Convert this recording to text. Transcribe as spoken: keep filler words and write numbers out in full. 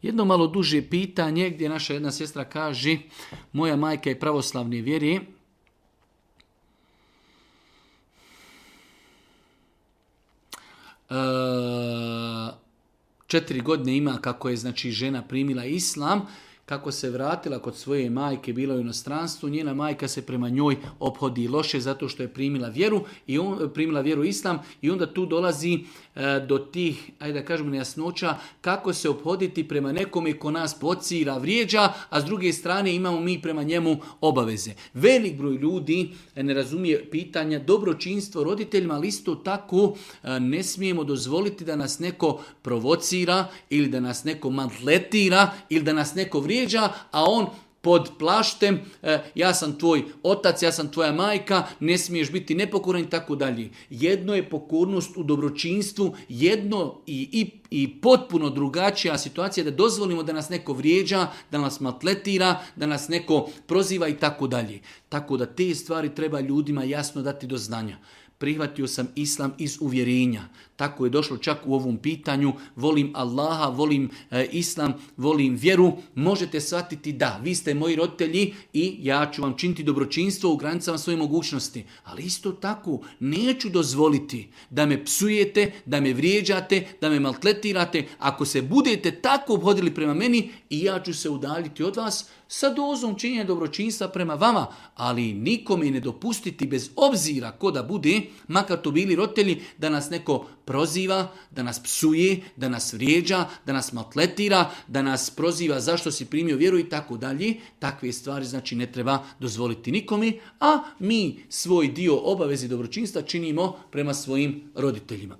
Jedno malo duže pitanje gdje naša jedna sestra kaže, moja majka je pravoslavne vjere, e, četiri godine ima kako je znači žena primila islam, kako se vratila kod svoje majke, bila u inostranstvu, njena majka se prema njoj ophodi loše zato što je primila vjeru i on primila vjeru islam i onda tu dolazi e, do tih, ajde da kažemo, nejasnoća kako se ophoditi prema nekome ko nas pocira, vrijeđa, a s druge strane imamo mi prema njemu obaveze. Velik broj ljudi ne razumije pitanja dobročinstvo roditeljima, ali isto tako e, ne smijemo dozvoliti da nas neko provocira ili da nas neko maltretira ili da nas neko vrijeđa, a on pod plaštem, e, ja sam tvoj otac, ja sam tvoja majka, ne smiješ biti nepokoran i tako dalje. Jedno je pokornost u dobročinstvu, jedno i, i, i potpuno drugačija situacija da dozvolimo da nas neko vrijeđa, da nas maltretira, da nas neko proziva i tako dalje. Tako da te stvari treba ljudima jasno dati do znanja. Prihvatio sam islam iz uvjerenja. Tako je došlo čak u ovom pitanju. Volim Allaha, volim e, islam, volim vjeru. Možete shvatiti da, vi ste moji roditelji i ja ću vam činiti dobročinstvo u granicama svoje mogućnosti. Ali isto tako neću dozvoliti da me psujete, da me vrijeđate, da me maltretirate. Ako se budete tako obhodili prema meni i ja ću se udaljiti od vas sa dozom činjenja dobročinstva prema vama, ali nikome ne dopustiti bez obzira ko da bude, makar to bili roditelji, da nas neko proziva, da nas psuje, da nas vrijeđa, da nas maltretira, da nas proziva zašto si primio vjeru i tako dalje. Takve stvari znači ne treba dozvoliti nikome, a mi svoj dio obaveze dobročinstva činimo prema svojim roditeljima.